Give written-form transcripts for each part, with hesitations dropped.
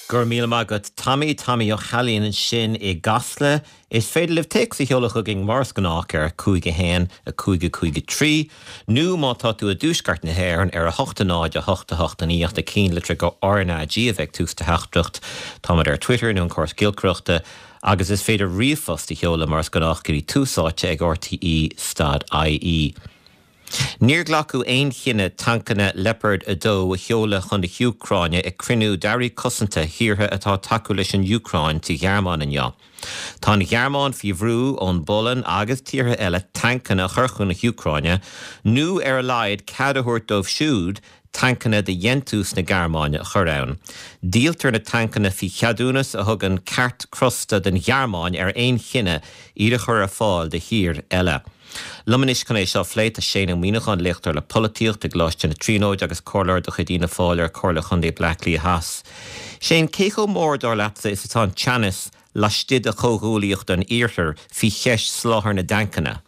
Go raibh míle maith agat Tommy, Tommy Ó hAilín ansin i gCasla. Is féidir libh téacs a sheoladh chugainn mar is gnách ar 5 1 5 5 3 nó má tá tú i dtuaisceart na hÉireann ar 8 0 8 8 9 ach na cinnlitreacha RnaG a bheith ag tús do theachtaireacht. Táimid ar Twitter nó an córas giolcaireachta agus is féidir ríomhphost a sheoladh mar is gnách go dtí tús áite ag rte stad ie. Níor glacadh aon chinneadh tancanna Leopard 2 a sheoladh chun na hÚcráine ag cruinniú d'airí cosanta thíortha atá ag tacú leis an Úcráin sa Ghearmáin inniu. Tá an Ghearmáin faoi bhrú ón bPolainn agus tíortha eile tancanna a chur chun na hÚcráine nó ar a laghad cead a thabhairt dóibh siúd tancanna de dhéantús na Gearmáine a chur ann. Díoltar na tancanna faoi cheadúnas a thugann ceart crosta don Ghearmáin ar aon chinneadh iad a chur ar fáil do thír eile. Liom anois chun é seo a phlé tá Shane Ó Muíneacháin, léachtóir le polaitíocht i gColáiste na Tríonóide agus comhairleoir de chuid Fhianna Fáil ar Chomhairle Chontae Bhaile Átha Cliath Theas. Shane, cé chomh mór, dar leatsa, is atá an teannas laistigh de Chomhghuaillíocht an Iarthair faoi cheist soláthar na dtancanna?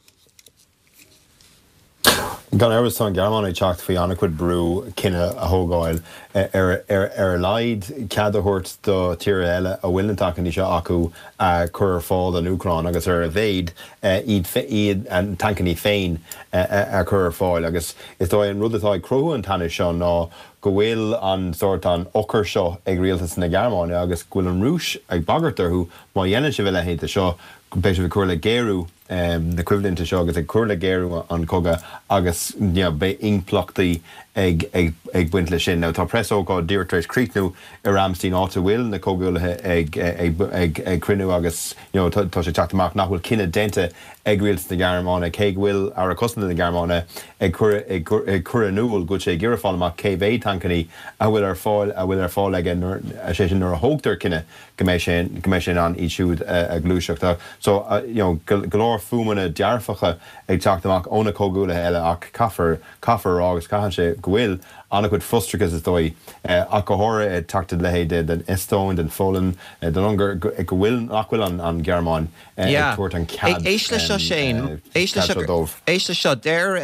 Gan amhras tá an Ghearmáin ag teacht faoi an-chuid brú cinneadh a thógáil, ar a laghad cead a thabhairt do tíortha eile a bhfuil na tancanna seo acu a chur ar fáil don Úcráin agus ar a mhéad iad a dtancanna féin a chur ar fáil. Agus is dóigh an rud atá ag cruthú an teannais seo ná go bhfuil an sórt an eochair seo ag rialtas na Gearmáine agus go bhfuil an Rúis ag bagairt orthu má dhéanann sibh a leithéid de seo beidh sibh ag cur le géarú na coimhlinte seo agus ag cur le géarú an chogaidh agus beidh impleachtaí ag baint leis sin. Now tá preasócáid díreach tar éis críochnú i Ramstein áit a bhfuil na comhghuaillithe ag cruinniú agus tá sé ag teacht amach nach bhfuil cinneadh déanta ag rialtas na Gearmáine cé go bhfuil Aire Cosanta na Gearmáine ag cur in iúl go bhfuil sé ag iarraidh fáil amach cé mhéad tancannaí a bhfuil ar fáil a bhfuil ar fáil aige nuair, sé sin nuair a thógtar cinneadh go mbeidh sé, go mbeidh sé in ann iad siúd a ghluaiseacht. So, you know, go leor fuaimeanna dearfacha ag teacht amach ó na comhghuaillithe eile ach caithfear, caithfear a rá agus caitheann sé go bhfuil an-chuid frustrachas is dóigh, ach go háirithe ag teacht de leithéid den Eastóin, den Pholainn, den Ungáir, go bhfuil, nach bhfuil an Ghearmáin ag tabhairt an cead, Éist le seo Shane, éist le seo dóibh. Éist le seo, deir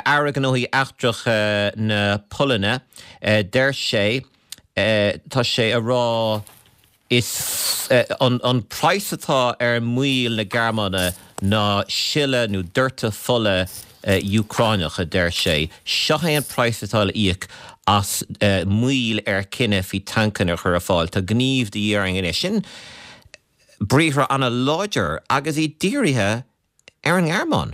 Aire Gnóthaí Eachtracha na Polainne, deir sé, tá sé a rá is an praghas atá ar moill na Gearmáine ná sileadh nó doirteadh fola Úcráineach, a deir sé. Seo é an praghas atá le íoc as moill ar chinneadh faoi tancanna a chur ar fáil. Tá gníomh de dhíth orainn anois. Sin briathra an-láidir agus iad dírithe ar an nGearmáin.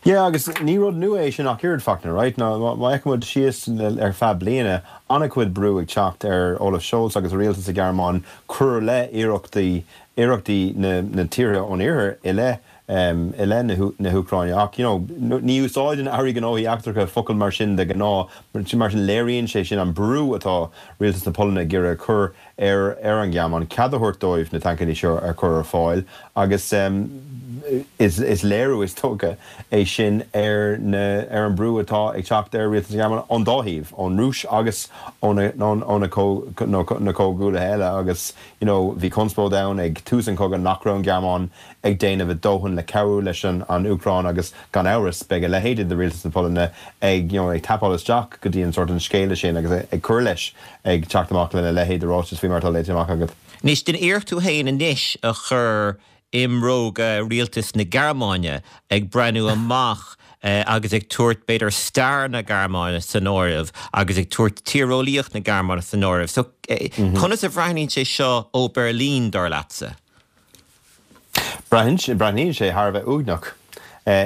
Yeah, agus ní rud nua é sin ach oiread, Fachtna, right? Má fhéachann muid síos ar feadh bliana, an-chuid brú ag teacht ar Olaf Scholz agus a rialtas sa Ghearmáin cur le iarrachtaí iarrachtaí na na tíortha ón iarthar i leith i leith na hÚcráine. Ach, you know, ní úsáideann airí gnóthaí eachtracha focail mar sin de ghnáth, mar sin léiríonn sé sin an brú atá rialtas na Polainne ag iarraidh a chur ar ar an Ghearmáin cead a thabhairt dóibh na tancannaí seo a chur ar fáil agus is léiriú, is dócha, é sin ar na ar an brú atá ag teacht ar rialtas na Gearmáine ón dá thaobh, ón Rúis agus ó na ó na na comhghuaillithe eile agus you know bhí conspóid ann ag tús an chogaidh nach raibh an Ghearmáin ag déanamh a dóthain le cabhrú leis an an Úcráin agus gan amhras beidh a leithéidí de rialtas na Polainne ag you know ag tapáil isteach go dtí an sórt an scéala sin agus ag cur leis ag teacht amach lena leithéid de ráiteas faoi mar atá léite amach agat. Anois, déan iarracht tú féin anois a chur i mbróga rialtas na Gearmáine, ag breathnú amach agus ag tabhairt, b'fhéidir, stair na Gearmáine san áireamh agus ag tabhairt tíreolaíocht na Gearmáine san áireamh. So, conas a bhreathnaíonn sé seo ó Berlin, dar leatsa? Breathnaíonn sé thar a bheith uaigneach.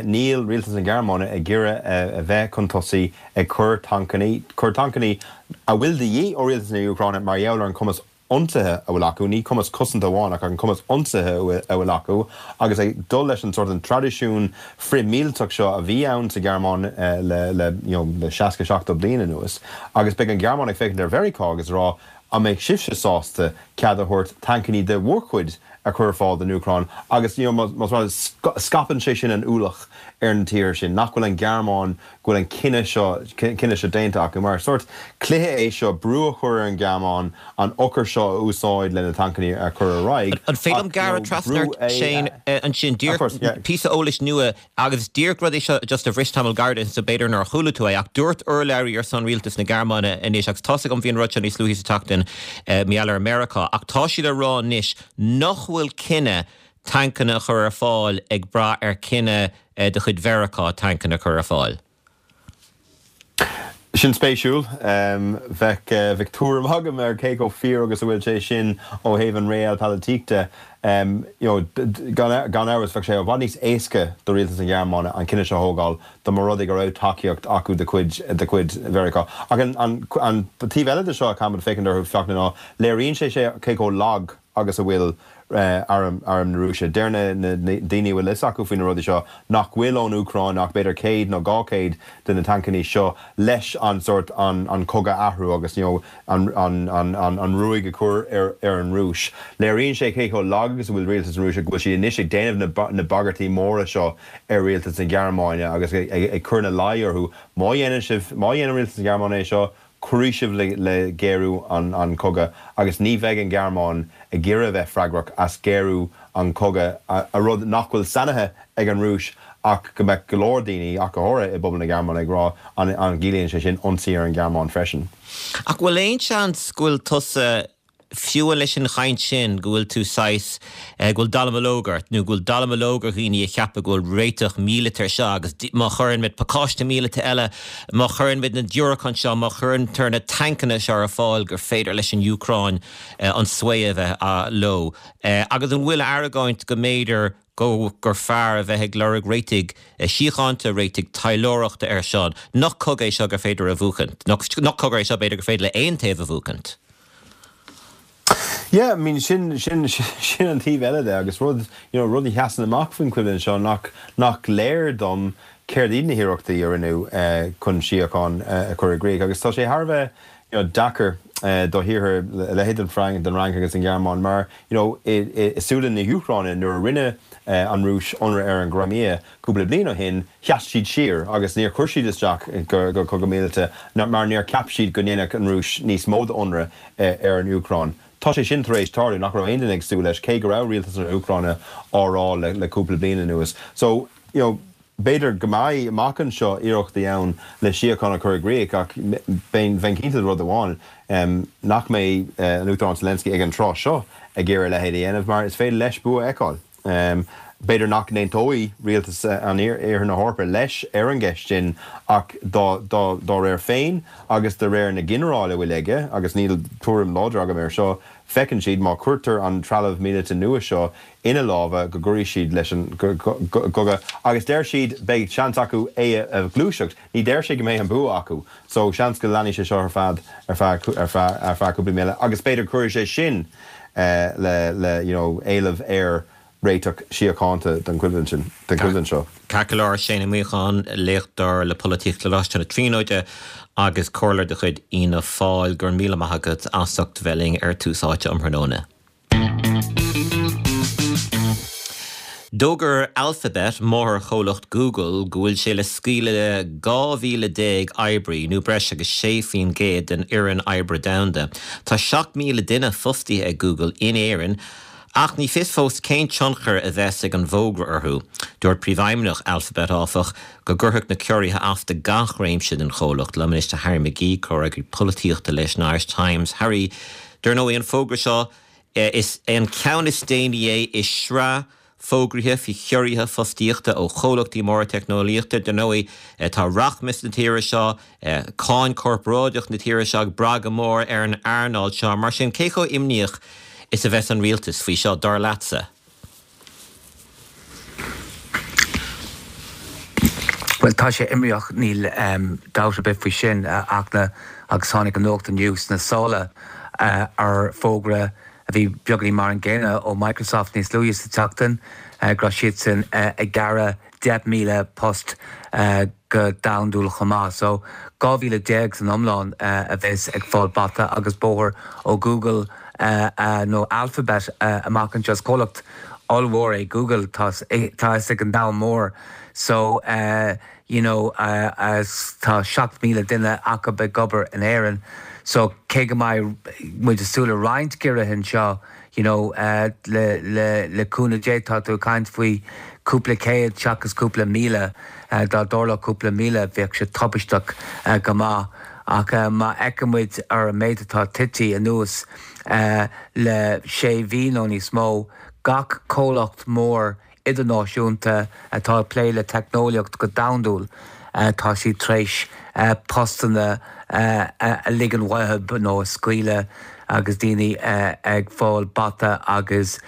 Níl rialtas na Gearmáine ag iarraidh a bheith chun tosaigh ag cur tancannaí, cur tancannaí a bhfuil de dhíth ó rialtas na Úcráine mar gheall ar an chumas ionsaithe a bhfuil acu, ní cumas cosanta amháin ach an cumas ionsaithe a bhfuil acu agus ag dul leis an sórt an traidisiún frith-mhíliteach seo a bhí ann sa Ghearmáin le le you know le 60, 70 bliain anuas agus beidh an Ghearmáin ag féachaint ar Mheiriceá agus ag rá An mbeidh sibhse sásta cead a thabhairt tancannaí de bhur gcuid a chur ar fáil don Úcráin agus, you know, más rud, scaipeann sé sin an ualach ar na tíortha sin, nach bhfuil an Ghearmáin. go bhfuil an cinneadh seo, cinneadh seo déanta acu, mar sórt cluiche é seo, brú a chur ar an Ghearmáin an eochair seo a úsáid le na tancanna a chur ar aghaidh, An féidir liom ach, you know, gearradh trasna brú ort, a. Shane, ansin, Of díreach course, yeah. píosa eolais nua agus díreach rud é seo just a bhris tamall gairid ansin so b'fhéidir nár chuala tú é ach dúirt urlabhraí ar son rialtas na Gearmáine anois agus tá's agam bhí an rud seo níos luaithe sa tseachtain mar gheall ar Meiriceá ach tá siad ag rá anois nach bhfuil cinneadh tancanna a chur ar fáil ag brath ar chinneadh de chuid Mheiriceá tancanna a chur ar fáil. Sin spéisiúil. Bheadh, bheadh tuairim agam ar cé chomh fíor agus a bhfuil sé sin ó thaobh an realpolitik de. You know, gan, gan amhras, bheadh sé i bhfad níos éasca do rialtas na Gearmáine an cinneadh seo a thógáil dá mba rud é go raibh tacaíocht acu de chuid, de chuid Mheiriceá. Ach an, an, an taobh eile de seo a chaithfimid féachaint orthu, Fachtna, ná léiríonn sé sé cé chomh lag agus a bhfuil arm na Rúise. Deir na daoine a bhfuil fhios acu faoi na rudaí seo nach bhfuil ón Úcráin ach b'fhéidir 100 nó 200 de na tancannaí seo leis an sórt an cogadh a athrú agus you know an ruaig a chur ar an Rúis. Léiríonn sé cé chomh lag agus a bhfuil rialtas na Rúise go bhfuil siad anois ag déanamh na bagairtí móra seo ar rialtas na Gearmáine agus ag cur ina luí orthu má dhéanann sibh, má dhéanann rialtas na Gearmáine é seo, Cuirfidh sibh le géarú an chogaidh agus ní bheidh an Ghearmáin ag iarraidh a bheith freagrach as géarú an chogaidh, a rud nach bhfuil sainithe ag an Rúis ach go mbeadh go leor daoine, ach go háirithe i bpobal na Gearmáine, ag rá an gciallaíonn sé sin ionsaí ar an Ghearmáin freisin. Ach bhfuil aon seans go bhfuil tusa fiú leis an chaint sin, go bhfuil tú saghas, go bhfuil dallamullóg ort, nó go bhfuil dallamullóg ar dhaoine a cheapadh go bhfuil réiteach míleata ar seo agus má chuireann muid pacáiste míleata eile, má chuireann muid na diúracáin seo, má chuireantar na tancanna seo ar fáil gur féidir leis an Úcráin an svae a bheith leo. Agus an bhfuil argóint go mb'fhéidir go gur fearr a bheith ag lorg réitigh síochánta, réitigh taidhleoireachta air seo, nach cogadh é seo gur féidir a bhuachaint, nach cogadh é seo b'fhéidir gur féidir le aon taobh a bhuachaint. Yeah, I mean sin, sin, sin an taobh eile de agus rud, you know, rud a sheasann amach faoin choimhlint seo nach, nach léir dom céard iad na hiarrachtaí a rinneadh chun síocháin a chur i gcrích agus tá sé thar a bheith, you know, deacair do thíortha a leithéid den Fhrainc, den Fhrainc agus den Ghearmáin mar, you know, i súile na hÚcráine nuair a rinne an Rúis ionradh ar an gCrimea cúpla bliain ó shin, sheas siad siar agus níor chuir siad isteach go cogadh míleata mar níor cheap siad go ndéanfadh an Rúis níos mó d'ionradh ar an Úcráin. Tá sé sin tar éis tarlú, nach raibh aon duine ag súil leis, cé go raibh rialtas na hÚcráine á rá le cúpla bliain anuas. So, you know, b'fhéidir go mbeidh amach anseo iarrachtaí ann le síocháin a chur i gcrích ach bheinn cinnte de rud amháin, nach mbeidh an Uachtarán Zelensky ag an tráth seo ag iarraidh a leithéid a dhéanamh mar is féidir leis bua a fheiceáil. B'fhéidir nach n-aontóidh rialtas an Iarthar na hEorpa leis ar an gceist sin ach dá réir féin agus de réir na ginearáil a bhfuil aige, agus níl tuairim láidir agam air seo, feiceann siad má chuirtear an trealamh míleata nua seo ina lámha go gcuirfidh siad leis an gcogadh agus deir siad beidh seans acu é a ghluaiseacht. Ní deir sé go mbeidh an bua acu. So seans go leanfaidh sé seo ar feadh ar feadh ar feadh ar feadh cúpla mí eile agus b'fhéidir cuirfidh sé sin le le you know éileamh ar réiteach síochánta den choimhlint sin den choimhlint seo. Ceart go leor, Shane Ó Muíneacháin, léachtóir le Polaitíocht le Coláiste na Tríonóide agus comhairleoir de chuid Fhianna Fáil, go raibh míle maith agat as ucht bheith linn ar Tús Áite um thráthnóna. D'fhógair Alphabet, máthairchomhlacht Google, go bhfuil sé le scaoileadh 12,000 oibrí, nó breis agus 6% den fhoireann oibre domhanda. Tá 7,000 duine fostaithe ag Google in Éirinn, ach ní fios fós cén tionchar a bheas ag an bhfógra orthu. Dúirt príomhfheidhmeannach Alphabet, áfach, go gcuirfeadh na ciorruithe as do gach réimse den chomhlacht. Liom anois tá Harry McGee, comhfhreagraí polaitíochta leis an Irish Times. Harry, Dar ndóigh, an fógra seo, is é an ceann is déanaí é i sraith fógraithe faoi chiorruithe fostaíochta ó chomhlachtaí móra teicneolaíochta. Dar ndóigh, tá rachmas na tíre seo, cáin chorparáideach na tíre seo ag brath go mór ar an earnáil seo. Mar sin, cé chomh imníoch is a bheas an rialtas faoi seo, dar leatsa? Bhuel, tá sé imníoch, níl dabht ar bith faoi sin, a Fhachtna, agus tháinig an nuacht inniu sna sála ar fógra a bhí beagáinín mar an gcéanna ó Microsoft níos luaithe sa tseachtain, go raibh siadsan ag gearradh 10,000 post go domhandúil chomh maith. So, 12,000 san iomlán a bheas ag fáil bata agus bóthar ó Google nó Alphabet amach anseo. Is comhlacht ollmhór é Google, tá a fhios ag an domhan mór. So, you know tá 7,000 duine acu ag obair in Éirinn so cé go mbeidh muid ag súil le roinnt giorruithe anseo you know le le le cúnamh Dé tá tú ag caint faoi cúpla céad seachas cúpla míle, dá dtarlódh cúpla míle bheadh sé tubaisteach go maith ach má fheiceann muid ar an méid atá tite anuas le sé mhí nó níos mó, gach comhlacht mór idirnáisiúnta atá ag plé le teicneolaíocht go domhandúil, tá siad tar éis postanna a ligean uathu nó a scaoileadh agus daoine ag fáil bata agus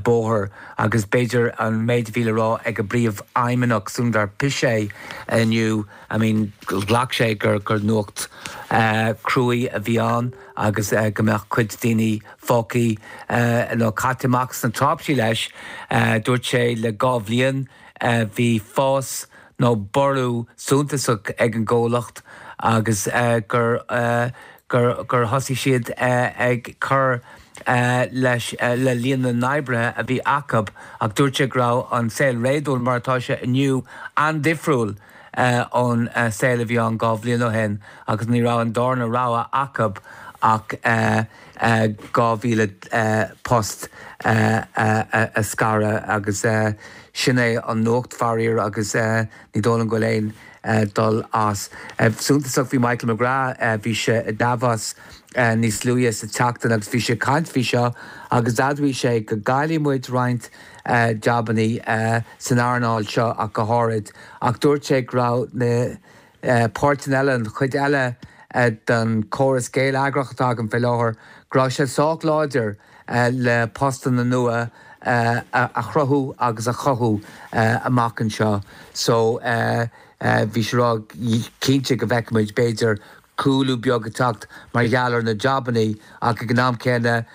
bóthar. Agus b'fhéidir an méid a bhí le rá ag a bpríomhfheidhmeannach Sundar Pichai inniu, I mean ghlac sé gur nuacht cruaidh a bhí ann agus go mbeadh cuid daoine fágtha nó caite amach sna tráipsí leis. Dúirt sé le 2 bhliain bhí fás nó borradh suntasach ag an gcomhlacht agus gur gur gur thosaigh siad ag cur leis le líon na n-oibrithe a bhí acu ach dúirt sé go raibh an saol réadúil mar atá sé inniu an-difriúil ón saol a bhí ann 2 bhliain ó shin agus ní raibh an darna rogha acu ach 2,000 post a scaradh agus sin é an nuacht, faraor, agus ní dóigh liom go bhfuil aon dul as. Suntasach bhí Michael McGrath, bhí sé i Davos níos luaithe sa tseachtain agus bhí sé ag caint faoi seo agus d'admhaigh sé go gcaillfidh muid roinnt jabannaí san earnáil seo ach go háirid ach dúirt sé go raibh na páirteanna eile, an chuid eile den chóras geilleagrach atá againn faoi láthair, go raibh sé sách láidir le postanna nua a chruthú agus a chothú amach anseo. So bhí sé ag rá cinnte go bhfeicfidh muid b'fhéidir cúlú beag ag teacht mar gheall ar na jabannaí ach ag an am céanna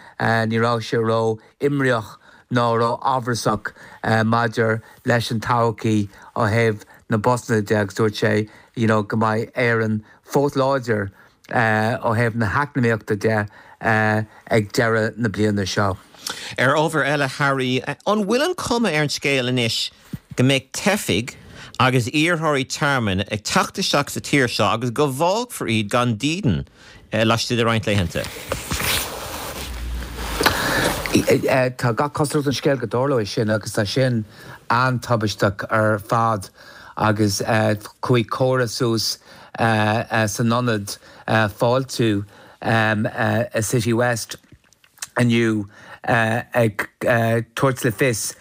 ní raibh sé ró imníoch ná ró amhrasach maidir leis an todhchaí ó thaobh na bpostanna de agus dúirt sé you know go mbeidh Éirinn fós láidir ó thaobh na heacnamaíochta de ag deireadh na bliana seo. Ar ábhar eile, Harry, an bhfuil an cuma ar an scéal anois go mbeidh teifigh agus iarrthóirí tearmainn ag teacht isteach sa tír seo agus go bhfágfar iad gan dídean laistigh de roinnt laethanta? Tá gach cosúlacht ar an scéal go dtarlóidh sin agus tá sin an-tubaisteach ar fad agus chuaigh comhartha suas san ionad fáiltiú i City West inniu ag tabhairt le fios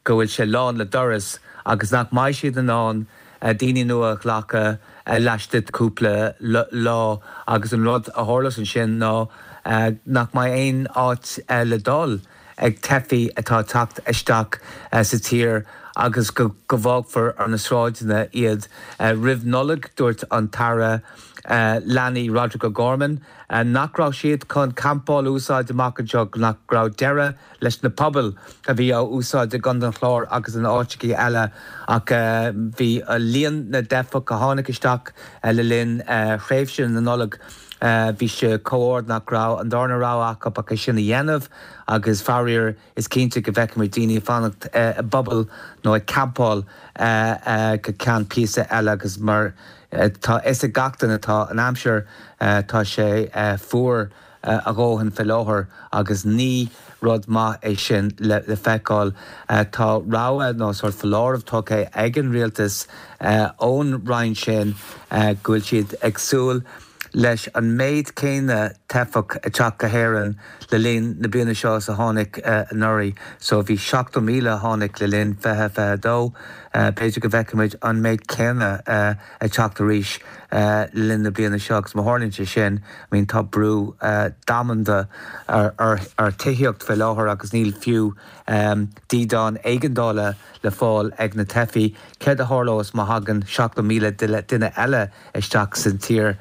go bhfuil sé lán le doras agus nach mbeidh siad in ann daoine nua a ghlacadh laistigh de chúpla lá agus an rud a tharlós ansin ná nach mbeidh aon áit le dul ag teifigh atá ag teacht isteach sa tír agus go bhfágfar ar na sráideanna iad. Roimh Nollaig, dúirt an tAire Leanaí Roderic O'Gorman nach raibh siad chun campáil a úsáid amach anseo, nach raibh deireadh leis na pubaill a bhí á úsáid i gContae an Chláir agus in áiteachaí eile ach bhí líon na dteifeach a tháinig isteach le linn thréimhse na Nollag bhí sé chomh ard nach raibh an darna rogha acu ach é sin a dhéanamh agus faraor is cinnte go bhfeicfimid daoine ag fanacht i bpubaill nó ag campáil go ceann píosa eile agus mar tá fhios ag gach duine tá an aimsir tá sé fuar a dhóthain fé láthair agus ní rud maith é sin le feiceáil. Tá rabhadh nó sórt foláireamh tugtha ag an rialtas ón roinn sin go bhfuil siad ag súil leis an méid céanna teifeach ag teacht go hÉirinn le linn na bliana seo is a tháinig anuraidh. So bhí 70,000 a tháinig le linn 2022. B'fhéidir go bhfeicfimid an méid céanna ag teacht arís le linn na bliana seo agus má tharlaíonn sé sin, I mean tá brú domhanda ar tithíocht fé láthair agus níl fiú dídeán éigeandála le fáil ag na teifigh. Céard a tharlós má thagann 70,000 duine eile isteach sa tír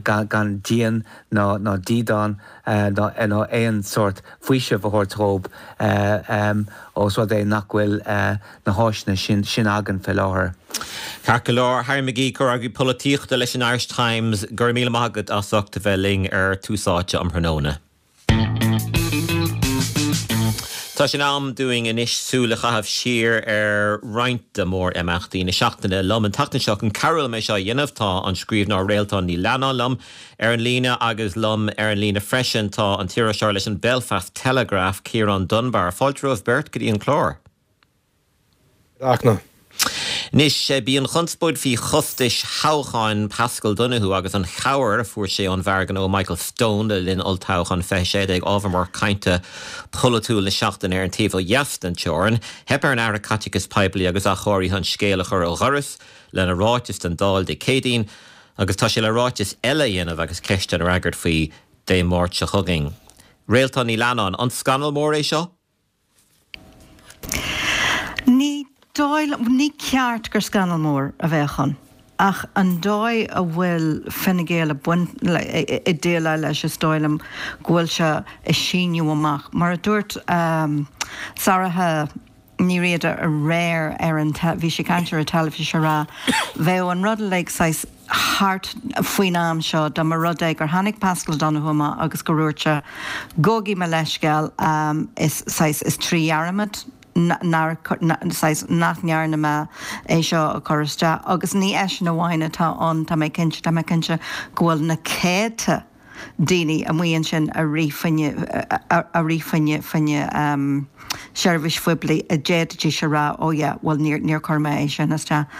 gan díon ná dídeán ná aon sórt faoisimh a thabhairt dhóibh ós rud é nach bhfuil na háiseanna sin againn fé láthair. Ceart go leor, Harry McGee, Comhfhreagraí Polaitíochta leis an Irish Times, go raibh míle maith agat as ucht a bheith linn ar Tús Áite um thráthnóna. Tá sé in am dúinn anois súil a chaitheamh siar ar roinnt de mhór-imeachtaí na seachtaine. Liom an tseachtain seo chun cabhrú liom é seo a dhéanamh tá an scríbhneoir Réaltán Ní Leannáin liom ar an líne agus liom ar an líne freisin tá an t-iriseoir leis an Belfast Telegraph, Ciarán Dunbar. Fáilte romhaibh beirt go dtí an clár. Fachtna. Anois, b'í an chonspóid faoi chostais thoghcháin Paschal Donohoe agus an chabhair a fuair sé ón bhfear gnó Michael Stone le linn olltoghchán 2016 ábhar mór cainte polaitiúil na seachtaine ar an taobh ó dheas den teorainn. Theip ar an Aire Caiteachais Poiblí agus Athchóirithe an scéal a chur ó dhoras lena ráiteas don Dáil Dé Céadaoin agus tá sé le ráiteas eile a dhéanamh agus ceisteanna a fhreagairt faoi Dé Máirt seo chugainn. Réaltán Ní Leannáin, an scannal mór é seo? Ní dóigh liom, ní ceart gur scannal mór a bheadh ann, ach an dóigh a bhfuil Fine Gael ag baint, ag déileáil leis, is dóigh liom go bhfuil sé ag síneadh amach. Mar a dúirt Sorcha Ní Riada aréir ar an, bhí sí ag caint ar an teilifís ag rá, bheadh an rud uilig saghas thart faoin am seo dá mba rud é gur tháinig Paschal Donohoe amach agus gur dhúirt sé, gabhaigí mo leithscéal, is saghas, is trí dhearmad nár, saghas, nach ndearna mé é seo a chur isteach. Agus ní eisean amháin atá ann, tá mé cinnte, tá mé cinnte go bhfuil na céadta daoine amuigh ansin a rith fá choinne, a rith fá choinne, fá choinne seirbhís phoiblí a d'fhéadfaidís a rá oh yeah, bhuel níor, níor chuir mé é sin isteach.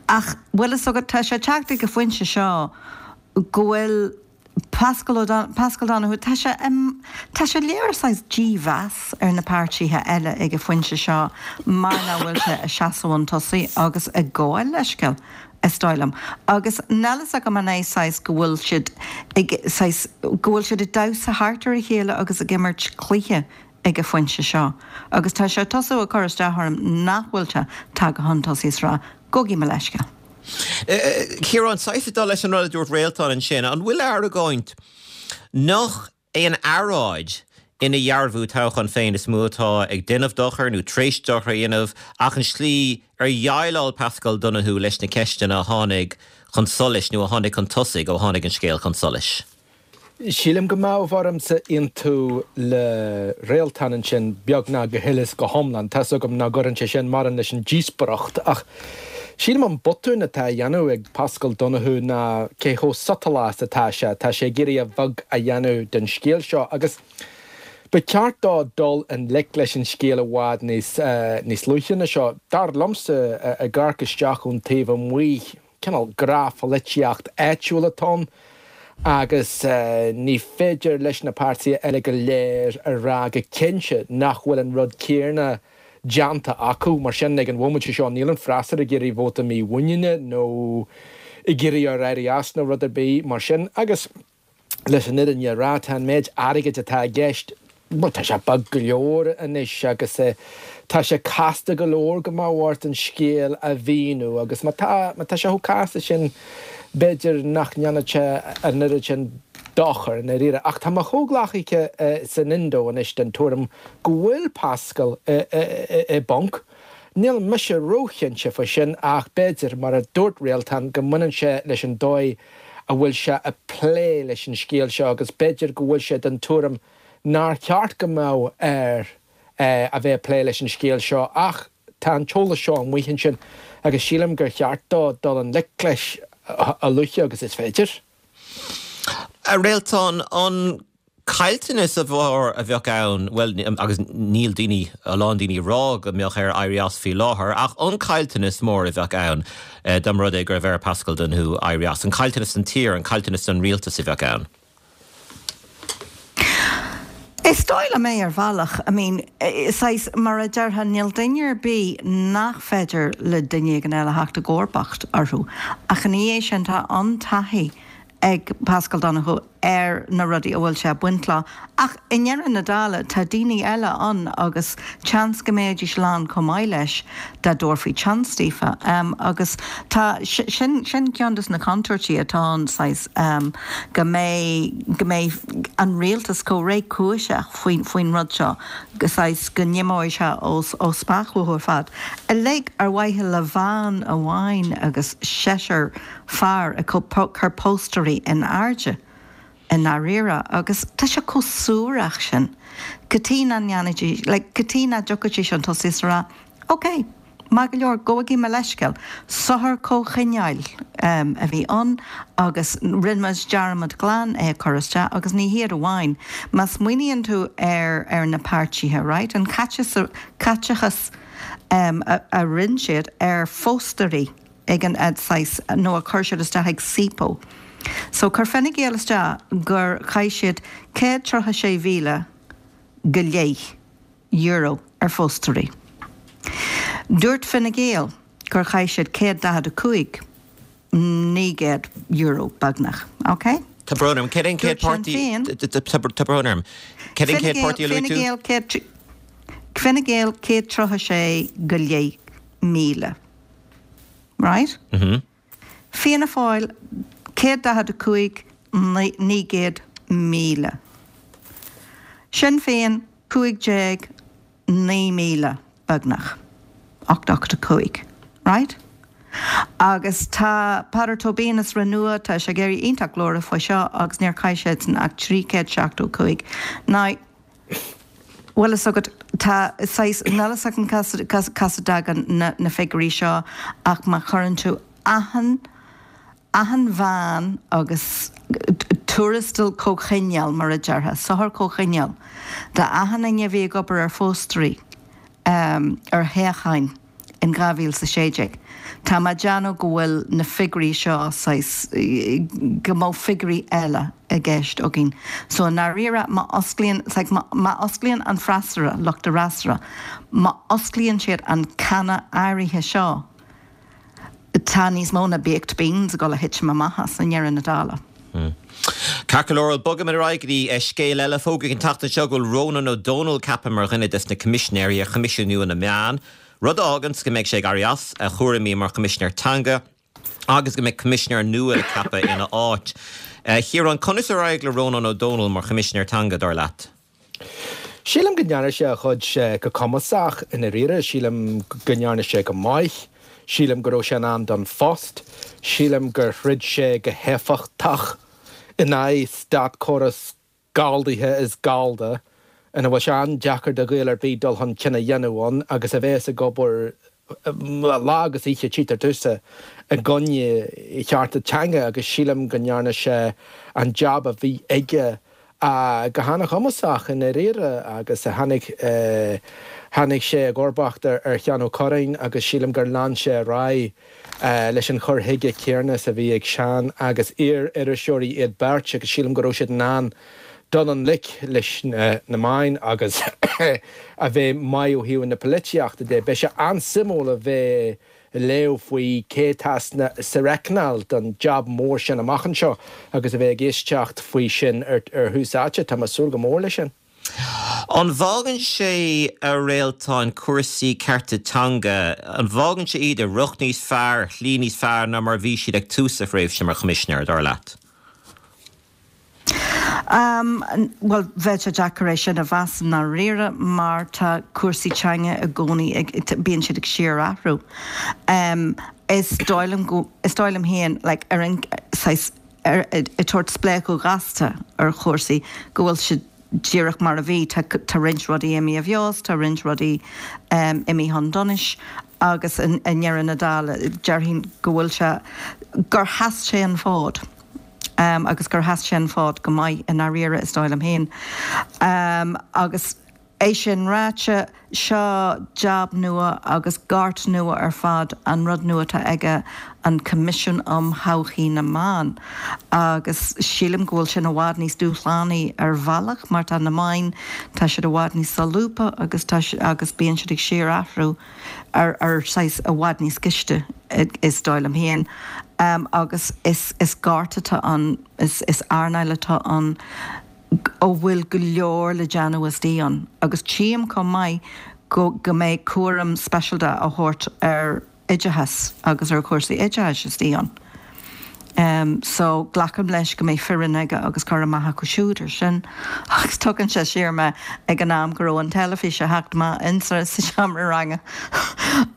Ach bhfuil fhios agat, tá sé ag teacht ag an phointe seo go bhfuil Paschal O'Don, Paschal Donohoe, tá sé, tá sé ag léiriú saghas dímheas ar na páirtithe eile ag an phointe seo mar nach bhfuil sé ag seasamh chun tosaigh agus ag gabháil leithscéal. is dóigh liom. Agus níl fhios agam an é saghas go bhfuil siad ag, saghas, go bhfuil siad ag damhsa thart ar a chéile agus ag imirt cluiche ag an phointe seo. Agus tá sé ag tosú ag cur isteach orm nach bhfuil sé tagtha chun tosaigh is rá, gabhaigí mo leithscéal. Ciarán, saghas ag dul leis an rud a dúirt Réaltán ansin, an bhfuil argóint nach é an earráid ina dhearbhú toghcháin féin is mó atá ag déanamh dochair nó tar éis dochar a dhéanamh ach an tslí ar dhéileáil Paschal Donohoe leis na ceisteanna a tháinig chun solais nó a tháinig chun tosaigh ó tháinig an scéal chun solais. Sílim go mbeadh ormsa aontú le Réaltán ansin beagnach go huile is go hiomlán. Tá's agam nach gcuireann sé sin mórán leis an díospóireacht ach sílim an botún atá á dhéanamh ag Paschal Donohoe ná cé chomh sotalach is atá sé. Tá sé ag iarraidh a bheag a dhéanamh den scéal seo agus ba cheart dó dul i ngleic leis an scéal i bhfad níos níos luaithe ná seo. Dar liomsa, ag amharc isteach ón taobh amuigh, Cineál gnáthpholaitíocht áitiúil atá ann agus ní féidir leis na páirtithe eile go léir a rá go cinnte nach bhfuil an rud céanna déanta acu. Mar sin, ag an bhomaite seo, níl an freasúra ag iarraidh vóta mímhuiníne nó ag iarraidh air éirí as nó rud ar bith mar sin. Agus. Leis an fhírinne a rá, tá an méid airgid atá i gceist, bhuel, tá sé beag go leor anois agus tá sé casta go leor go mbeadh ort an scéal a mhíniú agus má tá, má tá sé chomh casta sin, b'fhéidir nach ndéanfadh sé an oiread sin dochair i ndáiríre. Ach tá mo chomhghleacaithe san Indo anois den tuairim go bhfuil Paschal i bponc. Níl mise róchinnte faoi sin ach b'fhéidir, mar a dúirt Réaltán, go mbaineann sé leis an dóigh a bhfuil sé ag plé leis an scéal seo agus b'fhéidir go bhfuil sé den tuairim nár cheart go mbeadh air a bheith ag plé leis an scéal seo ach tá an t-eolas seo amuigh ansin agus sílim gur cheart dó dul i ngleic leis a luaithe agus is féidir. A Réaltán, an caillteanas mór a bheadh ann, bhuel, agus níl daoine, a lán daoine ag rá go mbeadh air éirí as faoi láthair, ach an caillteanas mór a bheadh ann dá mba rud é go raibh ar Paschal Donohoe éirí as, an caillteanas don tír, an caillteanas don rialtas a bheadh ann? Is dóigh liom é ar bhealach. I mean, saghas, mar a déarfá, níl duine ar bith nach féidir le duine éigin eile theacht i gcomharbacht orthu. Ach ina dhiaidh sin, tá an-taithí ag Paschal Donohoe ar na rudaí a bhfuil sé ag baint leo. Ach i ndeireadh na dála, tá daoine eile ann agus seans go mbeidís lán chomh maith leis dá dtabharfaí seans daofa. Agus tá, sin, sin ceann de na contúirtí atá ann, saghas, go mbeidh, go mbeidh an rialtas chomh réchúiseach faoin, faoin rud seo, go saghas, go n-imeoidh sé ó, ó smacht uathu ar fad. Uilig ar mhaithe le veain amháin agus seisear fear ag cur póstairí in airde. i ndáiríre agus tá sé chomh suarach sin. Cad chuige nach ndéanfaidís, like, cad chuige nach dtiocfaidís chun tosaigh is a rá, ok, maith go leor, gabhaigí mo leithscéal, sochar comhchineáil a bhí ann agus rinne muid dearmad glan é a chur isteach agus ní hiad amháin, má smaoiníonn tú ar ar na páirtithe, right, an caiteachas a rinne siad ar phóstaeirí ag an saghas, nó a chuir siad isteach ag SIPO. So chuir Fine Gael isteach gur chaith siad 136,000 go leith euro ar phóstaeirí. Dúirt Fine Gael gur chaith siad 145, 900 euro, beagnach. Ok? Tá brón orm. Céard é an chéad Dúirt Sinn páirtí? Féin. Tá brón orm. Céard é an Fine chéad Gael, páirtí a luaigh Fine tú? Gael, 100, Fine Gael 136 go leith 1,000. Right? Fianna Fáil 145 900,000. Sinn Féin 15 9,000 beagnach. 885. Right? Agus tá Peadar Tóibín as Renua, tá sé ag éirí iontach glórach faoi seo agus níor chaith siadsan ach 375. Now, bhfuil fhios agat, tá saghas, níl fhios agam cá as a dtagann na figiúirí seo ach má chuireann tú achan, achan mheán agus tuarastal comhchineáil, mar a déarfá, sochar comhchineáil, d'achan duine a bhí ag obair ar phóstaeirí ar thoghcháin in 2016. Tá mé ag déanamh go bhfuil na figiúirí seo saghas, go mbeadh figiúirí eile i gceist againn. So i ndáiríre, má osclaíonn, like, má osclaíonn an freasúra, lucht an fhreasúra, má osclaíonn siad an canna áirithe seo, tá níos mó ná baked beans ag dul a thitim amach as i ndeireadh na dála. Ceart go leor, bogfaimid ar aghaidh go dtí scéal eile. Fógraíodh an tseachtain seo go bhfuil Rónán Ó Domhnaill ceaptha mar dhuine des na Coimisinéirí ar Choimisiún nua na Meán, rud a fháganns go mbeidh sé ag éirí as a chúraimí mar Choimisinéir Teanga agus go mbeidh Coimisinéir nua le ceapadh ina áit. A Chiaráin, conas ar éirigh le Rónán Ó Domhnaill mar Choimisinéir Teanga, dar leat? Sílim go ndearna sé a chuid go cumasach i ndáiríre. Sílim go ndearna sé go maith. Sílim go raibh sé in am don phost. Sílim gur throid sé go héifeachtach in aghaidh státchóras galldaithe is gallda ina bhfuil sé an-deacair do Ghael ar bith dul chun cinn a dhéanamh ann agus a bheas ag obair lá agus oíche, tchítear domhsa, i gcoinne chearta teanga agus sílim go ndearna sé an jab a bhí aige go hana-chumasach i ndáiríre agus tháinig tháinig sé i gcomharbacht ar Sheán Ó Cuirreáin agus sílim gur lean sé ar aghaidh leis an chur chuige céarna is a bhí ag Seán agus iar-iriseoirí iad beirt agus sílim go raibh siad in ann dul i ngleic leis na meáin agus a bheith maith ó thaobh na polaitíochta de. Beidh sé an-suimiúil a bheith ag léamh faoi cé atá sa reicneáil don jab mór sin amach anseo agus a bheith ag éisteacht faoi sin ar Thús Áite. Tá mé ag súil go mór leis sin. An bhfágann sé, a Réaltáin, cúrsaí cearta teanga, an bhfágann sé iad i riocht níos fearr, ar shlí níos fearr ná mar a bhí siad ag tús a thréimhse mar Choimisinéir, dar leat? Bhuel, bheadh sé deacair é sin a mheas i ndáiríre mar tá cúrsaí teanga i gcónaí ag, bíonn siad ag síorathrú. Is dóigh liom go, is dóigh liom féin, like, ar an, saghas, ar, ag tabhairt spléachadh gasta ar chúrsaí, go bhfuil siad díreach mar a bhí. Tá, tá roinnt rudaí imithe i bhfeabhas, tá roinnt rudaí imithe chun donais agus i ndeireadh na dála, déarfainn go bhfuil sé, gur sheas sé an fód. agus gur sheas sé an fód go maith i ndáiríre, is dóigh liom féin. Agus é sin ráite, seo jab nua agus gort nua ar fad an rud nua atá aige, an Coimisiún um Thodhchaí na Meán, agus sílim go bhfuil sin i bhfad níos dúshlánaí ar bhealach mar tá na meáin, tá siad i bhfad níos solúbtha agus tá, agus bíonn siad ag síorathrú. ar ar saghas i bhfad níos gaiste, is dóigh liom féin. Agus is is gort atá ann, is is earnáil atá ann a bhfuil go leor le déanamh istigh ann. Agus tchím chomh maith go go mbeidh cúram speisialta á thabhairt ar oideachas agus ar chúrsaí oideachais istigh ann. So, glacaim leis go mbeidh foireann aige agus cur amach acu siúd ar sin. Agus tugann sé siar mé ag an am go raibh an teilifís ag theacht amach insa seomra ranga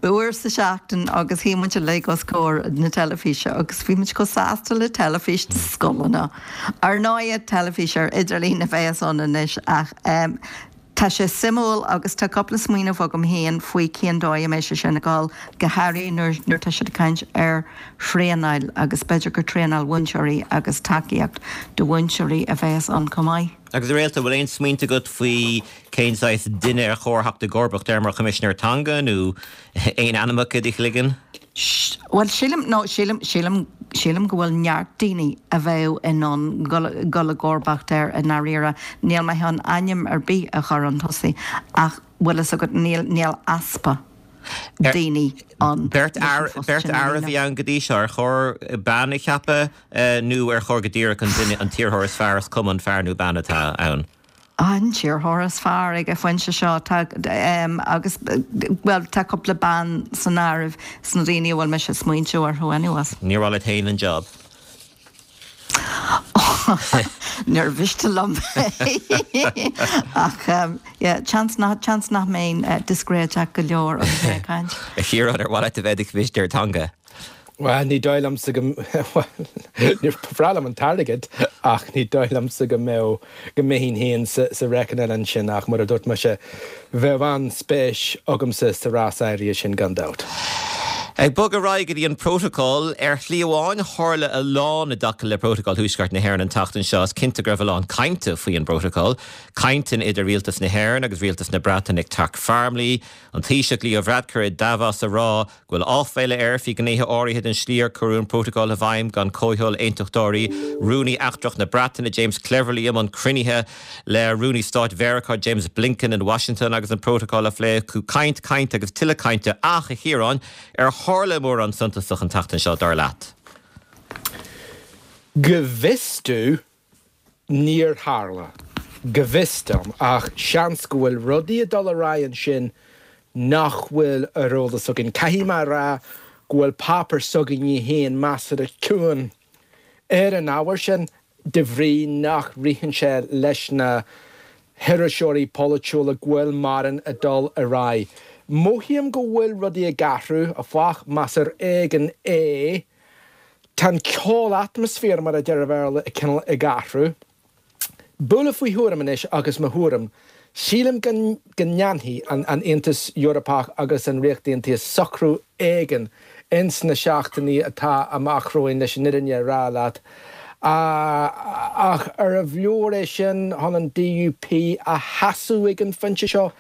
uair sa seachtain agus shuigh muid uilig os comhair na teilifíse agus bhí muid chomh sásta le teilifís na scoileanna. Ar ndóighe, teilifís ar idirlíon a bheas ann anois ach Tá sé suimiúil agus tá cúpla smaoineamh agam féin faoi cén dóigh a mbeidh sé sin ag dul, go háirithe nuair nuair atá siad ag caint ar thraenáil agus b'fhéidir gur traenáil mhúinteoirí agus tacaíocht do mhúinteoirí a bheas ann chomh maith. Agus a Réaltán, bhfuil aon smaointe agat faoi cén saghas duine ar chóir theacht i gcomharbacht air mar Choimisinéir Teanga nó aon ainmneacha i do chloigeann? Bhuel, sílim, no, sílim, sílim, sílim go bhfuil neart daoine a bheadh in ann dul, dul i gcomharbacht air i ndáiríre. Níl mé chun ainm ar bith a chur chun tosaigh ach, bhfuil fhios agat, níl, níl easpa daoine ann Beirt leis an phost beirt sin a fhear a bhí ann go dtí seo, ar chóir bean a cheapadh nó ar chóir go díreach an duine, an t-iarrthóir is fearr, is cuma an fear nó bean atá ann? An t-iarrthóir is fearr ag an phointe seo. Tá, agus, bhuel, tá cúpla bean san áireamh sna daoine a bhfuil mise ag smaointiú orthu anyways. Níor mhaith leat féin an job? Níor mhiste liom é. Ach, yeah, seans nach, seans nach mbeinn discréideach go leor agus mé ag caint. A Chiaráin, ar mhaith leat a bheith i do Choimisinéir Teanga? Bhuel, ní dóigh liomsa go, bhuel, ba bhreá liom an t-airgead ach ní dóigh liomsa go mbeadh, go mbeinn féin sa, sa reckoning ansin ach mar a dúirt mise, bheadh an-spéis agamsa sa rás áirithe sin gan dabht. Ag bogadh ar aghaidh go dtí an Prótacal, ar shlí amháin tharla a lán i dtaca le Prótacal Thuaisceart na hÉireann an tseachtain seo. Is cinnte go raibh a lán cainte faoi an bPrótacal. Cainteanna idir Rialtas na hÉireann agus Rialtas na Breataine ag Teach Farmleigh, an Taoiseach Leo Varadkar i Davos a rá go bhfuil áiféala air faoi ghnéithe áirithe den slí ar cuireadh an Prótacal i bhfeidhm gan comhthoil aontachtóirí, Rúnaí Eachtrach na Breataine James Cleverly i mbun cruinnithe le Rúnaí Stáit Mheiriceá James Blinken in Washington agus an Prótacal á phlé acu. Caint, caint agus tuilleadh cainte ach, a Chiaráin, ar tharla mórán suntasach an tseachtain seo, dar leat? Go bhfios domh, Níor tharla, go bhfios dom, ach seans go bhfuil rudaí ag dul ar aghaidh ansin nach bhfuil ar eolas againn. Caithfidh mé a rá go bhfuil páipéar s'againne féin measartha ciúin ar an ábhar sin de bhrí nach ritheann sé leis na hiriseoirí polaitiúla go bhfuil mórán ag dul ar aghaidh. Mothaím go bhfuil rudaí ag athrú, áfach, más ar éigean é. Tá an ceol atmaisféar, mar a deir an Bhéarla, cineál ag athrú. Buille faoi thuairim anois agus mo thuairim, sílim go ndéanfaidh an Aontas Eorpach agus an Ríocht Aontaithe socrú éigin ins na seachtainí atá amach romhainn leis an fhírinne a rá leat. Ach arbh leor é sin chun an DUP a shásamh ag an phointe seo?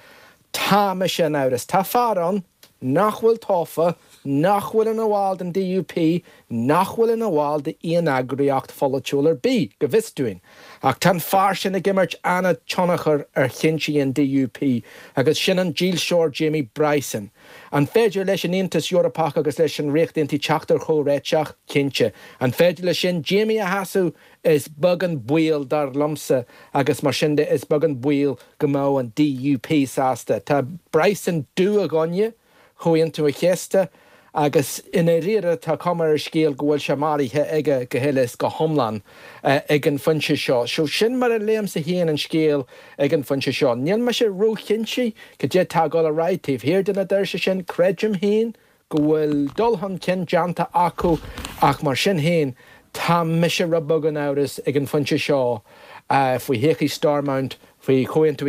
Tá mise in amhras. Tá fear ann nach bhfuil tofa, nach bhfuil ina bhall den DUP, nach bhfuil ina bhall d'aon eagraíocht pholaitiúil ar bith, go bhfios dúinn. Ach tá an fear sin ag imirt an-tionchar ar chinntí an DUP, agus sin an dílseoir Jamie Bryson. An féidir leis an Aontas Eorpach agus leis an Ríocht Aontaithe teacht ar chomhréiteach? Cinnte. An féidir leis sin Jamie a shásamh? Is beag an baol, dar liomsa, agus mar sin de is beag an baol go mbeadh an DUP sásta. Tá Bryson dubh i gcoinne Chomhaontú an Chéasta agus i ndáiríre tá cuma ar an scéal go bhfuil sé maraithe aige go huile is go hiomlán ag an phointe seo. So sin mar a léimse féin an scéal ag an phointe seo. Níl mise róchinnte cad é atá ag dul ar aghaidh taobh thiar de na doirse sin. Creidim féin go bhfuil dul chun cinn déanta acu ach mar sin féin tá mise rud beag in amhras ag an phointe seo faoi thodhchaí Stormont, faoi Chomhaontú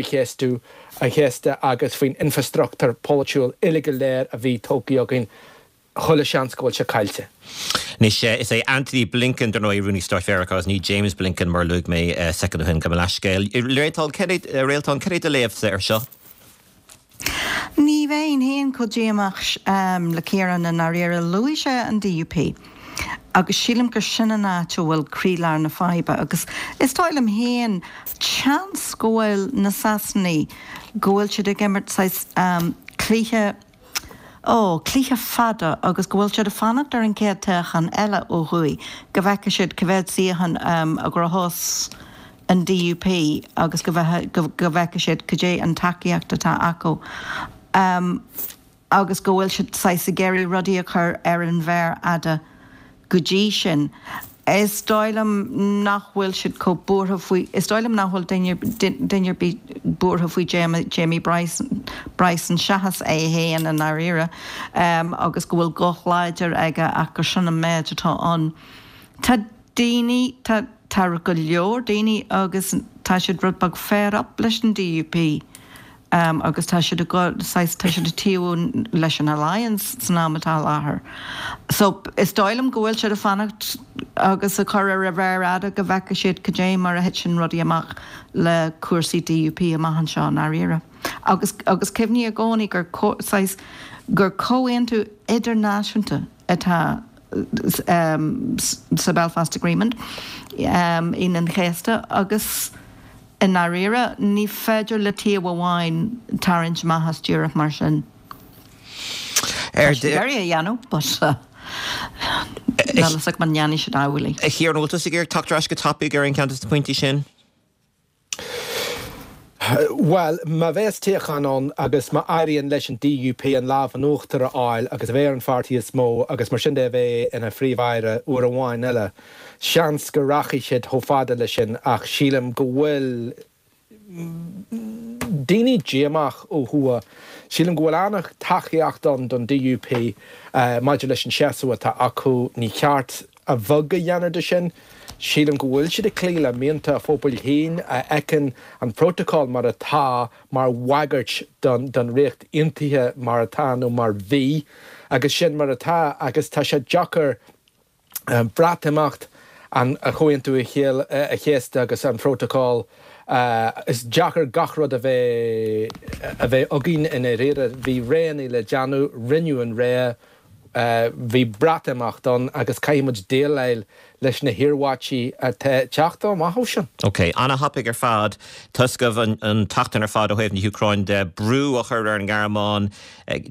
an Chéasta agus faoin infreastruchtúr polaitiúil uile go léir a bhí tógtha againn. Chuile sheans go bhfuil sé caillte. Anois, is é Antony Blinken, dar ndóigh, Rúnaí Stáit Mheiriceá agus ní James Blinken mar a luaigh mé soicind ó shin, gabh mo leithscéal. Réaltán, cad é do léamhsa air seo? Ní bheinn féin chomh díomách le Ciarán i ndáiríre. Luaigh sé an DUP agus sílim gur sin an áit a bhfuil croílár na faidhbe agus is dóigh liom féin seans go bhfuil na Sasanaigh, go bhfuil siad ag imirt saghas cluiche, ó, cluiche fada agus go bhfuil siad ag fanacht ar an chéad toghchán eile ó thuaidh go bhfeicfidh siad cá mhéad suíochán a ghnóthós an DUP agus go bhfeicfidh siad cad é an tacaíocht atá acu agus go bhfuil siad saghas ag iarraidh rudaí a chur ar an mhéar fhada go dtí sin. Is dóigh liom nach bhfuil siad chomh buartha faoi, is dóigh liom nach bhfuil duine ar bith buartha faoi Jamie Bryson seachas é féin i ndáiríre agus go bhfuil guth láidir aige ach gur sin an méid atá ann. Tá daoine, tá, tá go leor daoine agus tá siad rud beag fed up leis an DUP. agus tá siad ag dul, saghas, tá siad ag taobhú leis an Alliance san am atá i láthair. So, is dóigh liom go bhfuil siad ag fanacht agus ag cur ar a mhéar fhada go bhfeicfidh siad cad é mar a thiteann rudaí amach le cúrsaí DUP amach anseo i ndáiríre. Agus, agus cuimhnigh i gcónaí gur, saghas, gur comhaontú idirnáisiúnta atá sa Belfast Agreement, Aoine an Chéasta, agus i ndáiríre, ní féidir le taobh amháin tarraingt amach as díreach mar sin. Tá siad ag iarraidh a dhéanamh, but níl a fhios agam an ndéanfaidh siad amhlaidh. A Chiaráin, an bhfuil tusa ag iarraidh teacht ar ais go tapaidh ar aon cheann de na pointí sin? Bhuel, má bheas toghchán ann agus má éiríonn leis an DUP an lámh in uachtar a fháil agus a bheith ar an pháirtí is mó agus mar sin de a bheith ina Phríomh-Aire uair amháin eile, seans go rachaidh siad chomh fada leis sin ach sílim go bhfuil daoine díomách ó thuaidh. Sílim go bhfuil an-tacaíocht ann don DUP maidir leis an seasamh atá acu. Ní ceart a bheag a dhéanamh de sin. Sílim go bhfuil siad ag cloí le mianta a phobail féin, a fheiceann an prótacal mar atá mar bhagairt don Ríocht Aontaithe mar atá nó mar bhí, agus sin mar atá agus tá sé deacair Breatimeacht, an Comhaontú Chéasta agus an prótacal, is deacair gach rud a bheith a bheith againn i ndáiríre. Bhí roghanna le déanamh, rinneadh an rogha. Bhí Breatimeacht ann agus caithfidh muid déileáil leis na hiarmhairtí atá ag teacht amach ó sin. Ok, ana-thapaidh ar fad. Tá a fhios agaibh an tseachtain ar fad ó thaobh na hÚcráine de, brú á chur ar an nGearmáin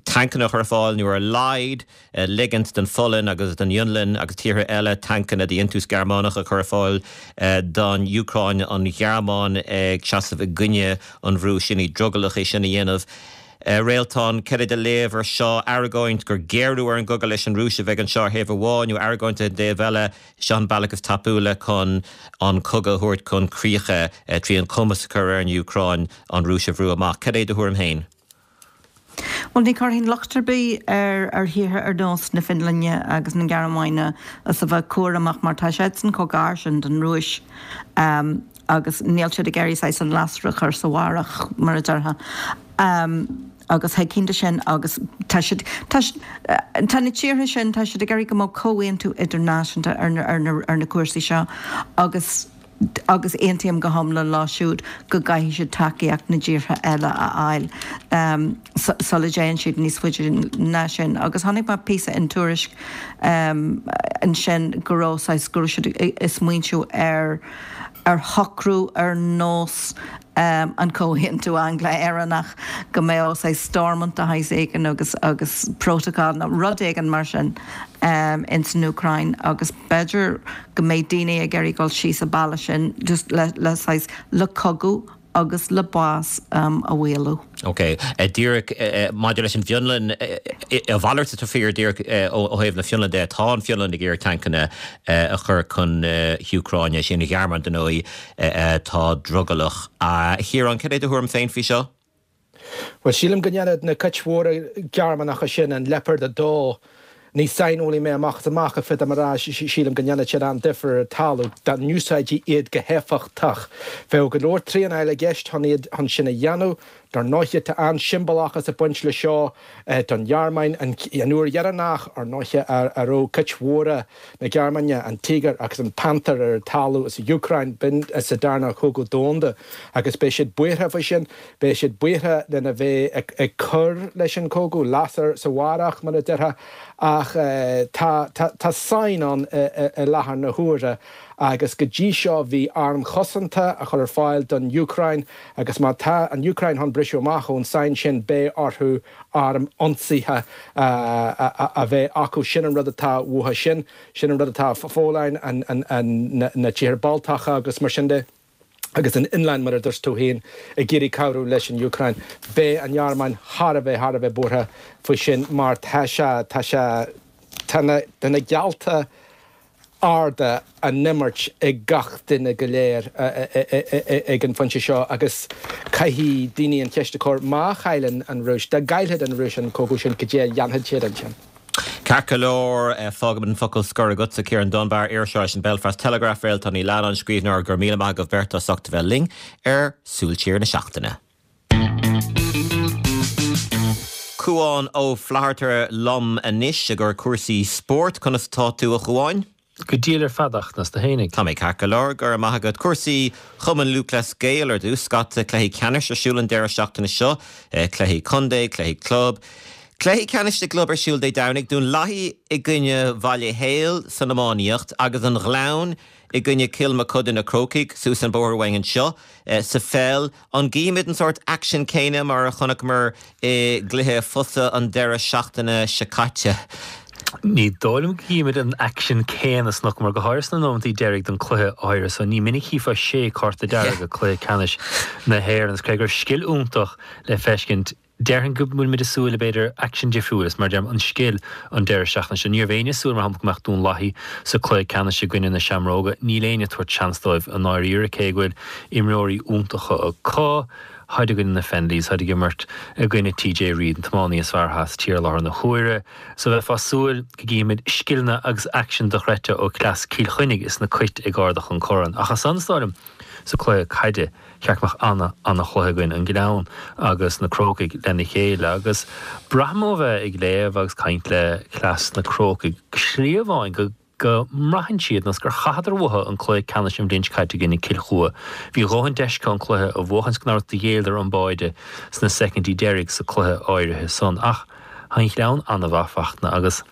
tancanna a chur ar fáil nó ar a laghad ligint don Pholainn agus don Fhionlainn agus tíortha eile tancanna de dhéantús Gearmánach a chur ar fáil don Úcráin, an Ghearmáin ag seasamh i gcoinne an bhrú sin, í drogallach é sin a dhéanamh. Réaltán, cad é do léamh ar seo? Argóint gur géarú ar an gcogadh leis an Rúis a bheidh anseo ar thaobh amháin, nó argóint ar an dtaobh eile, seo an bealach is tapúla chun an cogadh a thabhairt chun críche, trí an cumas a chur ar an Úcráin an Rúis a bhrú amach. Cad é do thuairim féin? Bhuel, ní chuirfinn locht ar bith ar thíortha ar nós na Fionlainne agus na Gearmáine as a bheith cúramach mar tá siadsan chomh gar sin don Rúis. Agus níl siad ag iarraidh saghas an lasair a chur sa bharrach, mar a déarfá. Agus thuigfinn do sin agus tá siad, tá, tá na tíortha sin, tá siad ag iarraidh go mbeadh comhaontú idirnáisiúnta ar na, ar na, ar na cúrsaí seo agus, agus aontaím go hiomlán leo siúd go gcaithfidh siad tacaíocht na dtíortha eile a fháil sula dtéann siad níos faide ná sin. Agus chonaic mé píosa in Tuairisc ansin go raibh saghas, go raibh siad ag smaointiú ar, ar shocrú ar nós an Comhaontú Angla-Éireannach, go mbeadh saghas Stormont de shaghas éigin agus agus protocol nó rud éigin mar sin ins an Úcráin agus b'fhéidir go mbeidh daoine ag iarraidh dul síos an bealach sin just le le saghas le cogadh agus le bás a mhaolú. Ok. Díreach maidir leis an bhFionlainn, a mhalairt atá fíor díreach ó thaobh na Fionlainne de, tá an Fhionlainn ag iarraidh tancanna a chur chun na hÚcráine, is í an Ghearmáin, dar ndóigh, atá drogallach. A Chiaráin, cad é do thuairim féin faoi seo? Bhuel, sílim go ndéanfaidh na cait mhóra Gearmánacha sin an Leopard 2 Ní saineolaí mé amach is amach, ach féadaim a rá, sílim go ndéanfaidh siad an-difear ar an talamh dá n-úsáidfí iad go héifeachtach. Bheadh go leor traenáil i gceist chun iad chun sin a dhéanamh. Dar ndóiche, tá an-siombalachas ag baint le seo don Ghearmáin. An uair dheireanach, ar ndóiche, a raibh cait mhóra na Gearmáine, an Tiger agus an Panther ar an talamh sa Úcráin, b'in sa Darna Cogadh Domhanda agus beidh siad buartha faoi sin. Beidh siad buartha lena bheith ag cur leis an gcogadh, lasair sa bharrach, mar a déarfá, ach tá, tá sáinn ann i láthair na huaire agus go dtí seo bhí airm chosanta á chur ar fáil don Úcráin agus má tá an Úcráin chun briseadh amach ón sáinn sin beidh orthu airm ionsaithe a bheith acu. Sin an rud atá uathu sin, sin an rud atá an Pholainn, na tíortha Baltacha agus mar sin de. agus an Fhionlainn, mar a dúirt tú féin, ag iarraidh cabhrú leis an Úcráin. Beidh an Ghearmáin thar a bheith, thar a bheith buartha faoi sin mar tá sé, tá sé, tá na, tá na geallta. arda á n-imirt ag gach duine go léir ag an phointe seo agus caithfidh daoine an cheist a chur, má chailleann an Rúis, dá gcaillfeadh an Rúis an cogadh sin, cad é a dhéanfadh siad ansin? Ceart go leor, fágaimid an focal scoir agatsa, Ciarán Dunbar, iriseoir leis an Belfast Telegraph, Réaltán Ní Leannáin, scríbhneoir, go raibh míle maith agaibh beirt as ucht a bheith linn ar Súil Siar na Seachtaine. Cúán Ó Flatharta liom anois i gcomhair cúrsaí spóirt. Conas atá tú, a Chúáin? Go diail ar fad, a Fhachtna, 's tú fhéinig? Tá mé ceart go leor, go raibh maith agat. Cúrsaí Chumann Lúthchleas Gael ar dtús. Scata cluichí ceannais ar siúl an deireadh seachtaine seo. Cluichí contae, cluichí club. Cluichí ceannais na gclub ar siúl Dé Domhnaigh. Dún Lathaí i gcoinne Bhaile Héil san iománaíocht agus an Ghleann i gcoinne Cill Mochuda na Crócaigh suas an bóthar uainn anseo sa pheil. An gcífimid an sórt aicsin céanna mar a chonaiceamar i gcluiche fosa an deireadh seachtaine seo caite? Ní dóigh liom go gcífimid an aicsean céanna a chonaiceamar, go háirithe sna nóimeantaí deiridh den cluiche áirithe so. Ní minic a chífeá sé cárta dearg i cluiche ceannais na hÉireann. Is cé go raibh scil iontach le feiscint, Déarfainn go bhfuilimid ag súil le, b'fhéidir, aicsean difriúil, is mar a deirim, an scil an deireadh seachtaine seo. Ní raibh éinne ag súil, mar shampla, go mbeadh Dún Lathaí sa cluiche ceannais i gcoinne na Seamróga. Níl éinne ag tabhairt seans dóibh i ndáiríre, cé go bhfuil imreoirí iontacha acu. Táid i gcoinne na Fennellys, táid ag imirt i gcoinne TJ Reid, an tiománaí is fearr atá sa tír i láthair na huaire. So bheifeá ag súil go gcífimid scileanna agus aicsean dochreidte ó chleas Cill Chainnigh is na Cait ag ardach an corn. Ach as san, is dóigh liom, sa cluiche caide, cheart go mbeadh ana, ana-chluiche againn, an Gleann agus na Crócaigh lena chéile. Agus braithim ó bheith ag léamh agus caint le cleas na Crócaigh, slí amháin go, go mbraitheann siad nós gur chaitheadar uathu an cluiche ceannais an bhliain seo caite i gcoinne Cill Chua. Bhí a dhóthain deis acu an cluiche a bhuachaint is go raibh do ghéilleadar an báide sna soicindí deiridh sa cluiche áirithe san. Ach tá an Gleann ana-mhaith, Fachtna, agus.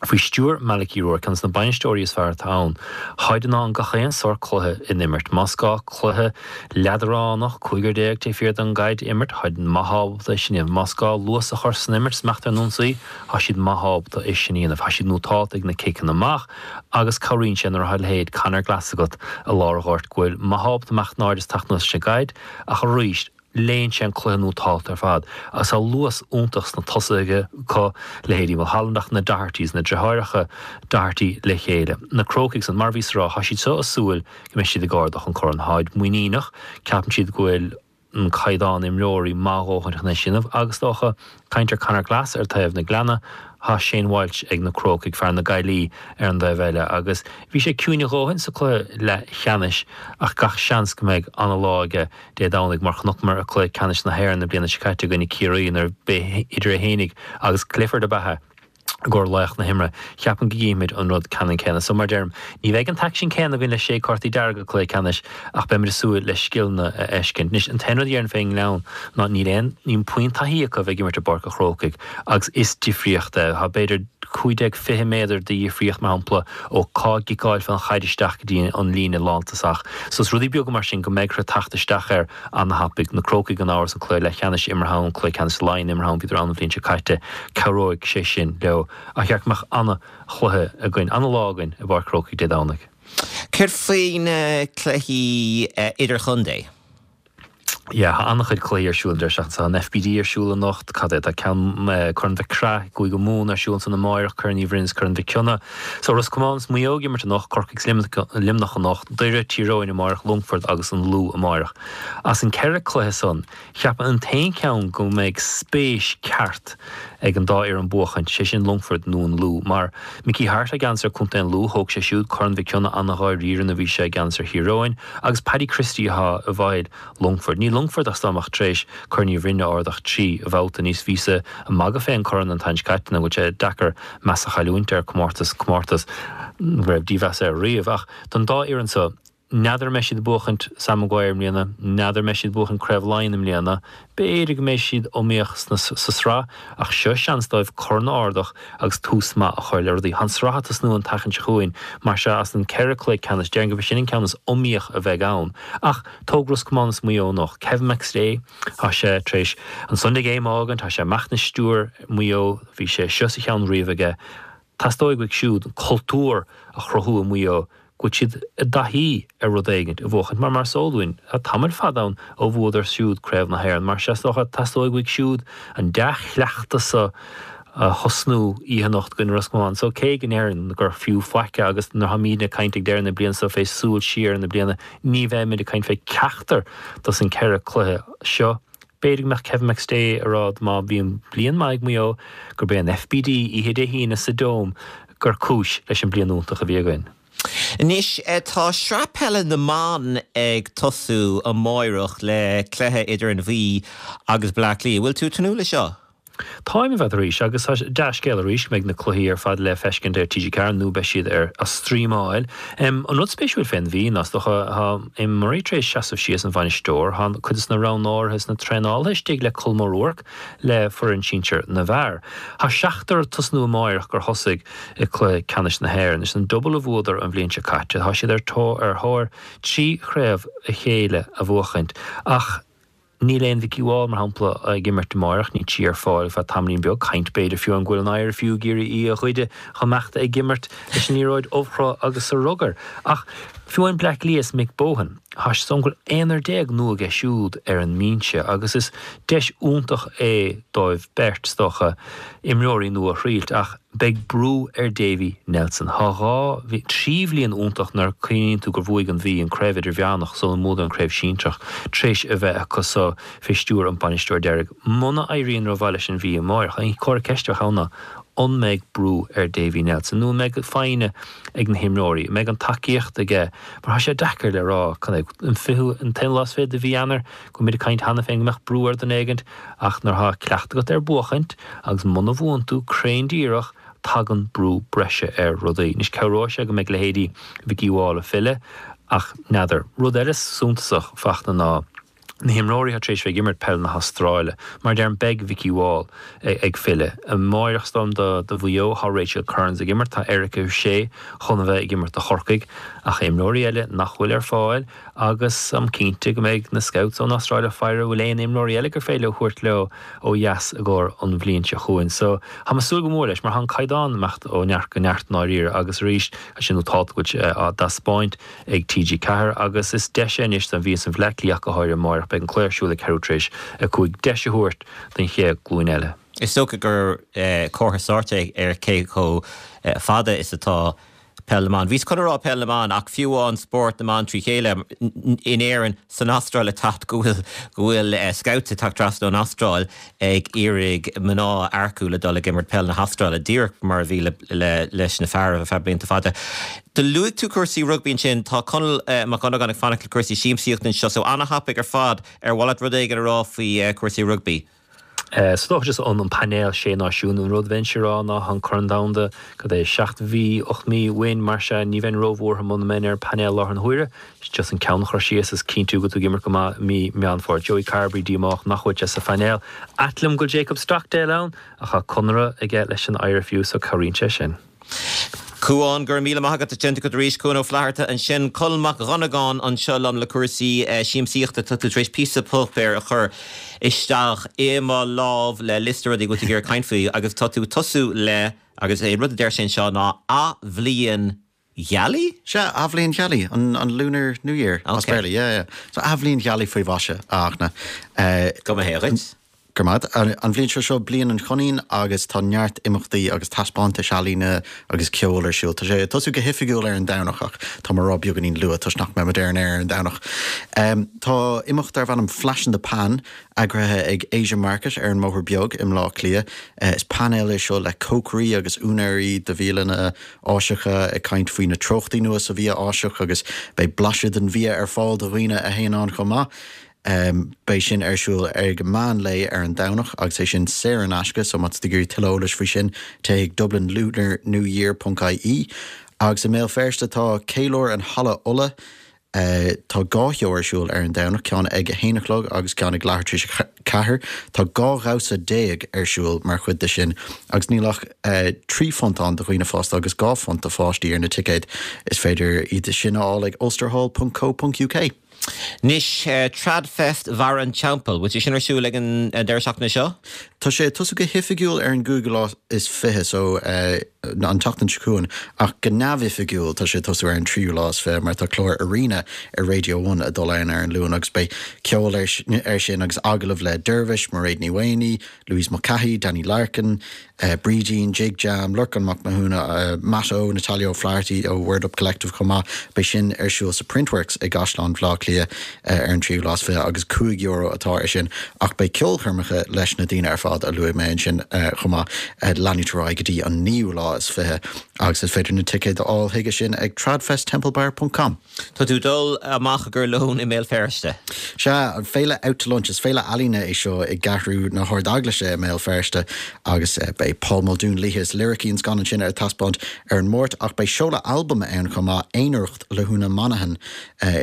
Faoi stiúir Malachy Rourke, ceann de na bainisteoirí is fearr atá ann, táid in ann gach aon sórt cluiche in imirt. Más gá cluiche leadránach, cúigear taobh thiar den gcaid a imirt, táid maith ábalta é sin a dhéanamh. Más gá luas a chur san imirt is imeacht ar an ionsaí, tá siad maith ábalta é sin a dhéanamh. Tá siad nótálta ag na ciceanna amach agus cabhraíonn sé nuair atá a leithéid Conor Glass agat i lár an ghoirt go bhfuil maith ábalta imeacht in airde is teacht anuas leis an gcaid ach arís, Léann sé an cluiche nótálta ar fad agus tá luas iontach sna tosaithe acu, leithéidí Mulholland ach na Dohertys, na deartháireacha Doherty le chéile. Na Crócaigh san, mar a bhíos a rá, tá siad seo ag súil go mbeidh siad ag ardach an corn. Táid muiníneach, ceapann siad go bhfuil an caighdeán imreoirí maith a dhóthain chun é sin a dhéanamh agus is dócha, caint ar Conor Glass ar taobh na Gleanna, tá Shane Walsh ag na Crócaigh, fear na Gaillí ar an dtaobh eile agus bhí sé ciúin a dhóthain sa cluiche leathcheannais ach gach seans go mbeidh ana-lá aige Dé Domhnaigh mar chonaiceamar i cluiche ceannais na hÉireann na bliana seo caite i gcoinne Ciarraí nuair ba idir é fhéinig agus Clifford ab ea i gcomhair laoch na himeartha. Cheapfainn go gcífimid an rud ceannann céanna. So mar deirim, ní bheidh an t-aicsean céanna againn le sé cártaí dearga cluiche ceannais ach beimid ag súil le scileanna a fheiscint. Anois an t-aon rud a dhéarfainn fén nGleann ná níl aon níl puinn taithí acu a bheith ag imirt i bPáirc an Chrócaigh agus is difríocht é. Tá b'fhéidir 15, 20 méadar de dhifríocht, mar shampla, ó cá gciceáilfeá an chaid isteach go dtí an líne lántosach. So is rudaí beaga mar sin go mbeidh orthu teacht isteach air ana-thapaidh. Na Crócaigh gan amhras an cluiche leathcheannais imeartha ann, cluiche ceannais Laighean imeartha ann, bhíodar ann an bhliain seo caite, cabhróidh sé sin leo. Ach cheart go mbeadh ana-chluiche againn, ana-lá againn i bPáirc Chrócaigh Dé Domhnaigh. Céard faoi na cluichí idirchontae? Yeah, tá an-chuid cluichí ar siúl an deireadh seachtaine. Tá an FBD ar siúl anocht, cad é, tá ceann, Corn Mhic Craith i gCúige Mumhan ar siúl ansan amáireach, Corn Uí Bhroin is Corn Mhic Cionnaith. So Ros Comáin is Maigh Eo ag imirt anocht, Corcaigh is Luimneach anocht, Doire, Tír Eoghain amáireach, Longfort agus an Lú amáireach. As an ceithre cluiche san, cheapfainn an t-aon cheann go mbeidh spéis ceart ag an dá fhoireann buachaint, sé sin Longfort nó an Lú, mar Mickey Harte i gceannas ar Contae an Lú, thóg sé siúd Corn Mhic Cionnaith an-dháiríre nuair a bhí sé i gceannas ar Thír Eoghain, Agus Paddy Christie atá i bhfeighil Longfoirt. Níl Longfort ach dá mbeadh tar éis Corn Uí Bhroin a ardach 3 bhabhta níos bhíos ag magadh fén corn an tseachtain seo caite nó go bhfuil sé deacair meas a chailliúint ar comórtas, comórtas go raibh dímheas air riamh. Ach don dá fhoireann so, n'fheadar an mbeidh siad ag buachaint Sam Maguire i mbliana, n'fheadar an mbeidh siad ag buachaint Craobh Laighean i mbliana, B'fhéidir go mbeidh siad iomaíoch sa sraith ach seo seans dóibh corn a ardach agus tús maith a chur le rudaí. Tá an sraith ag tosnú an tseachtain seo chugainn, mar sea as an ceithre cluiche ceannais, déarfainn gurb é sin an ceann is iomaíoch a bheidh ann. Ach tóg Ros Comáin is Maigh Eo anocht. Kevin McStay, tá sé tar éis an Sunday Game a fhágaint, tá sé amach ina stiúir Maigh Eo, bhí sé seo sa cheann riamh aige. Teastóidh uaidh siúd an cultúr a chruthú i Maigh Eo go bhfuil siad i dtaithí ar rud éigint a bhuachaint mar mar is eol dúinn, tá tamall fada ann ó bhuadar siúd Craobh na hÉireann. Mar sea, is dócha, teastóidh uaidh siúd an dea-chleachtas so. A thosnú oíche anocht i gcoinne Ros Comáin. So cé go ndéarfainn gur fiú faic é agus nuair tháimídne ag caint ag deireadh na bliana so fé súil siar ar na bliana ní bheimid ag caint fé ceachtar dos an 4 cluiche seo. B'fhéidir go mbeadh Kevin McStay ag rá má bhíonn bliain maith ag Maigh Eo gurb é an FBD oíche Dé hAoine sa Dome gur cúis leis an bliain iontach a bhí againn. Anois tá Sraith Peile na mBan ag tosú amáireach le cluiche idir an Mhí agus Bleá Cliath. Bhfuil tú ag tnúth le seo? Táim, a Pheadair, arís, agus tá dea-scéal arís go mbeidh na cluichí ar fad le feiscint ar TG4 nó beidh siad ar a streamáil. An rud spéisiúil fén Mhí ná, is dócha, tá Eamon Murray tar éis seasamh síos, an bhainisteoir, tá cuid des na roghnóirithe is na traenálaithe istigh le Colm O'Rourke le foireann sinsir na bhfear. Tá seachtar ag tosnú amáireach gur thosaigh i cluiche ceannais na hÉireann. Is an duball a bhuadar an bhliain seo caite. Tá siad ar thóir 3 chraobh a chéile a bhuachaint ach, Níl aon Vikki Wall, mar shampla, ag imirt amáireach, níl sí ar fáil ar feadh tamaillín beag, caint b'fhéidir fiú an go bhfuil an IRFU ag iarraidh í a ghoideadh dá mbeadh ag imirt leis an liathróid ubhchruth agus sa rugar. Ach fiú amháin Bleá Cliath is Mick Bohan, tá sé go bhfuil aonar nua aige siúd ar an mbinse agus is deis iontach é dóibh beirt, is dócha, imreoirí nua a thriailt. Ach beidh brú ar Davy Nelson. Tá dhá, trí bhliain iontach nuair a cuimhníonn tú gur bhuaigh an Mhí an Craobh Idirmheánach sula mbuadar an Craobh Sinsearach tar éis a bheith acu so fé stiúir an bainisteoir deiridh. Muna éiríonn rómhaith leis an Mhí amáireach, an comhartha ceiste a bheadh ann ná an mbeidh brú ar Davy Nelson nó an mbeidh foighne ag na himreoirí, an mbeidh an tacaíocht aige mar tá sé deacair le rá cad é an fichiú, an t-aon lá is fiche de mhí Eanáir go bhfuil muid ag caint cheana féin go mbeadh brú ar dhuine éigint ach nuair atá cleachtadh agat ar buachaint agus muna bhuann tú cruinn díreach tagann brú breise ar rudaí. Anois cabhróidh sé go mbeidh leithéidí Vikki Wall ag filleadh ach n'fheadar. Rud eile suntasach Fachtna ná na himreoirí atá tar éis bheith ag imirt peil na hAstráile. Mar a deirim beidh Vikki Wall ag filleadh. Amáireach is dóigh liom do do Mhaigh Eo tá Rachel Kearns ag imirt, tá Erika O'Shea chun a bheith ag imirt do Chorcaigh ach imreoirí eile nach bhfuil ar fáil agus táim cinnte go mbeidh na scouts ón Astráil ag faire an bhfuil aon imreoirí eile gur féidir leo thabhairt leo ó dheas i gcomhair an bhliain seo chugainn. So, tá mé ag súil go mór leis mar tá an caighdeán ag imeacht ó neart go neart i ndáiríre agus arís, tá sé nótálta go bhfuil sé á dtaispeáint ag TG4 agus is deis é anois don Mhí is an Bhleá Cliath ach go háirithe amáireach, beidh an cluiche ar siúl ag ceathrú tar éis 5, deis a thabhairt don chéad glúin eile. Is dócha gur comhartha sóirt é ar cé chomh fada is atá Peil na mBan. Bhíos chun a rá Peil na mBan ach fiú amháin spórt na mban trí chéile in Éirinn, san Astráil ag teacht go bhfuil go bhfuil scouts ag teacht trasna ón Astráil ag iarraidh mná a earcú le dul ag imirt peil na hAstráile, díreach mar a bhí le le leis na fear ar feadh blianta fada. Do luaigh tú cúrsaí rugbaí ansin, tá Conall Mac Dhonnagáin ag fanacht le cúrsaí siamsaíochta anseo so ana-thapaidh ar fad ar mhaith leat rud éigin a rá faoi cúrsaí rugbaí? Is dócha just an painéal sé náisiún, an rud bheinnse a rá ná an Corn Domhanda, cad é, seacht mhí, 8 mí uainn, mar sea ní bheinn róbhuartha muna mbeinn ar an painéal láthair na huaire. Just an ceann a chur síos is cinntiú go bhfuil tú ag imirt go maith i mí Meán Fómhair. Joey Carbery díomách nach bhfuil sé sa phainéal. Ait liom go bhfuil Jacob Stockdale ann ach tá conradh aige leis an IRFU so cabhraíonn sé sin. Cuán, go raibh míle maith agat as teacht arís. Cuán Ó Flatharta ansin. Colm Mac Dhonnagáin anseo liom le cúrsaí siamsaíochta. Tá tú tar éis píosa páipéir a chur isteach i mo lámh le liosta rudaí go bhfuil tú ag iarraidh caint faoi agus tá tú ag tosú le, agus an rud a deir sé anseo ná Athbhliain Ghealaí? Sea, Athbhliain Ghealaí, an Lunar New Year as Béarla, yeah, yeah. So Athbhliain Ghealaí faoi mhaise, a Fhachtna. Go mba hé dhuit. Go raibh maith agat. An bhliain seo, seo Bliain an Choinín agus tá neart imeachtaí agus taispeántais ealaíne agus ceoil ar siúl. Tá sé ag tosú go hoifigiúil ar an Domhnach ach tá mé ag rá beagáinín luath toisc nach mbeidh muid ar an aer ar an Domhnach. Tá imeacht darb ainm Flash in the Pan eagraithe ag Asia Market ar an mBóthar Beag i mBleá Cliath. Is painéal é seo le cócairí agus úinéirí de bhialanna Áiseacha ag caint faoi na treochtaí nua sa bhia Áiseach agus beidh blaiseadh den bhia ar fáil do dhaoine a théann ann chomh maith. Beidh sin ar siúl ag meán lae ar an Domhnach agus é sin saor in aisce so má tá tú ag iarraidh tuilleadh eolais faoi sin téigh chuig dublinlunarnewyear ponc ie. Agus i mBéal Feirste tá Ceiliúr in Halla Uladh. Tá dhá sheó ar siúl ar an Domhnach, ceann ag a haon a chlog agus ceann ag leathuair tar éis a ceathair. Tá 12 dhamhsa ar siúl mar chuid de sin agus níl ach £3 ann do dhaoine fásta agus £2 do pháistí ar na ticéid. Is féidir iad sin a fháil ag ulsterhall.co.uk. Anois, Tradfest Bharra an Teampaill, bhfuil sé sin ar siúl ag an deireadh seachtaine seo? Tá sé ag tosú go hoifigiúil ar an gcúigiú lá is 20, so an tseachtain seo chugainn, ach go neamhoifigiúil tá sé ag tosú ar an tríú lá is 20 mar tá clár Arena ar Radio One ag dul ann ar an Luan agus beidh ceol ar sin agus agallamh le Dervish, Mairéad Ní Mhaonaigh, Louise Mulcahy, Danny Larkin, Brídín, Jig Jam, Lorcán Mac Mathúna, Matt O, Natalia O'Flaherty ó Word Up Collective chomh maith. Beidh sin ar siúl sa Printworks i gCaisleán Bhaile Átha Cliath ar an tríú lá is 20 agus €5 atá ar sin ach beidh ceolchoirmeacha leis na daoine ar fad a luaigh mé ansin chomh maith ag leanúint ar aghaidh go dtí an naoú lá is 20 agus is féidir na ticéid a fháil chuige sin ag tradfesttemplebar ponc com. Tá tú ag dul amach i gcomhair lóin i mBéal Feirste. Sea, an Féile Out to Lunch. Is féile ealaíne é seo i gCeathrú na hArd-Eaglaise i mBéal Feirste agus beidh Paul Muldoon, Laoithe is Liricí an scannán sin ar taispeáint ar an Máirt ach beidh seoladh albaim ann chomh maith, Aonaracht le hÚna Monaghan,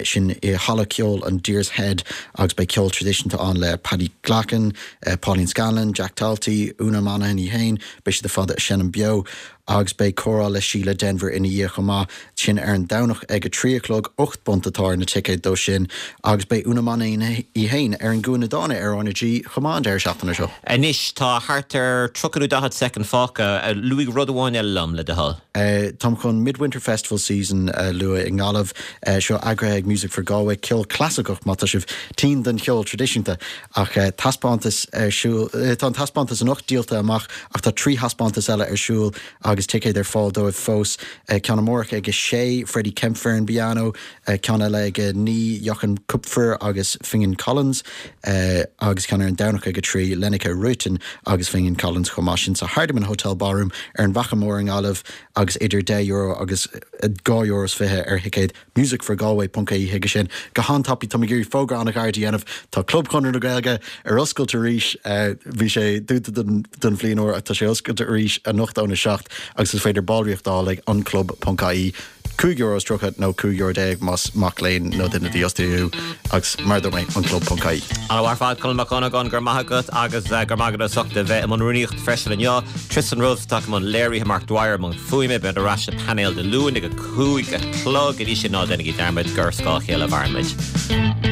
sin i Halla Ceoil an Deer's Head agus beidh ceol traidisiúnta ann le Paddy Glackin, Pauline Scanlon, Jack Talty, Úna Monaghan í féin, beidh siad ar fad ag seinm beo. Agus beidh comhrá le Síle Denvir ina dhiaidh chomh maith, sin ar an Domhnach ag a 3 a chlog, £8 atá ar na ticéid dó sin. Agus beidh Úna Monaghan í féin ar an gCúinne Dána ar RnaG chomh maith an deireadh seachtaine seo. Anois, tá thart ar 30 nó 40 soicind fágtha. Luaigh rud amháin eile liom, le do thoil. Táim chun Midwinter Festival Season a lua i nGaillimh. Seo eagraithe ag Music for Galway, ceol clasaiceach má tá sibh tinn don cheol traidisiúnta. Ach taispeántas ar siúl, tá an taispeántas anocht díolta amach ach tá 3 thaispeántas eile ar siúl agus ticéid ar fáil dóibh fós. Ceann amárach ag a sé, Freddie Kempfer ar an bpianó, ceann eile ag a 9, Jochen Kupfer agus Finghin Collins agus ceann ar an Domhnach ag a 3, Lenneke Ruiten agus Finghin Collins chomh maith. Sin sa Hardiman Hotel Ballroom ar an bhFaiche Mhór i nGaillimh agus idir €10 agus €2.20 ar thicéad. musicforgalway ponc ie chuige sin. Go han-tapaidh, táim ag iarraidh fógra an-ghairid a dhéanamh, tá Club Chonradh na Gaeilge ar oscailt arís, bhí sé dúnta don bhliain úr ach tá sé oscailte arís anocht óna 7 agus is féidir ballraíocht a fháil ag anclub ponc ie, €5 is 30 nó €15 euro más mac léinn nó duine dífhostaithe thú agus mar a dúirt mé, anclub ponc ie. An-mhaith ar fad, Colm Mac Dhonnagáin, go raibh maith agat agus go raibh maith agat as ucht a bheith i mbun rúnaíochta freisin inniu. Tristan Rose atá i mbun léirithe, Mark Dwyer i mbun fuaime, beidh ar ais sa painéal Dé Luain ag a 5 a chlog. Go dtí sin ná déanaigí dearmad gur ar scáth a chéile a mhaireann muid.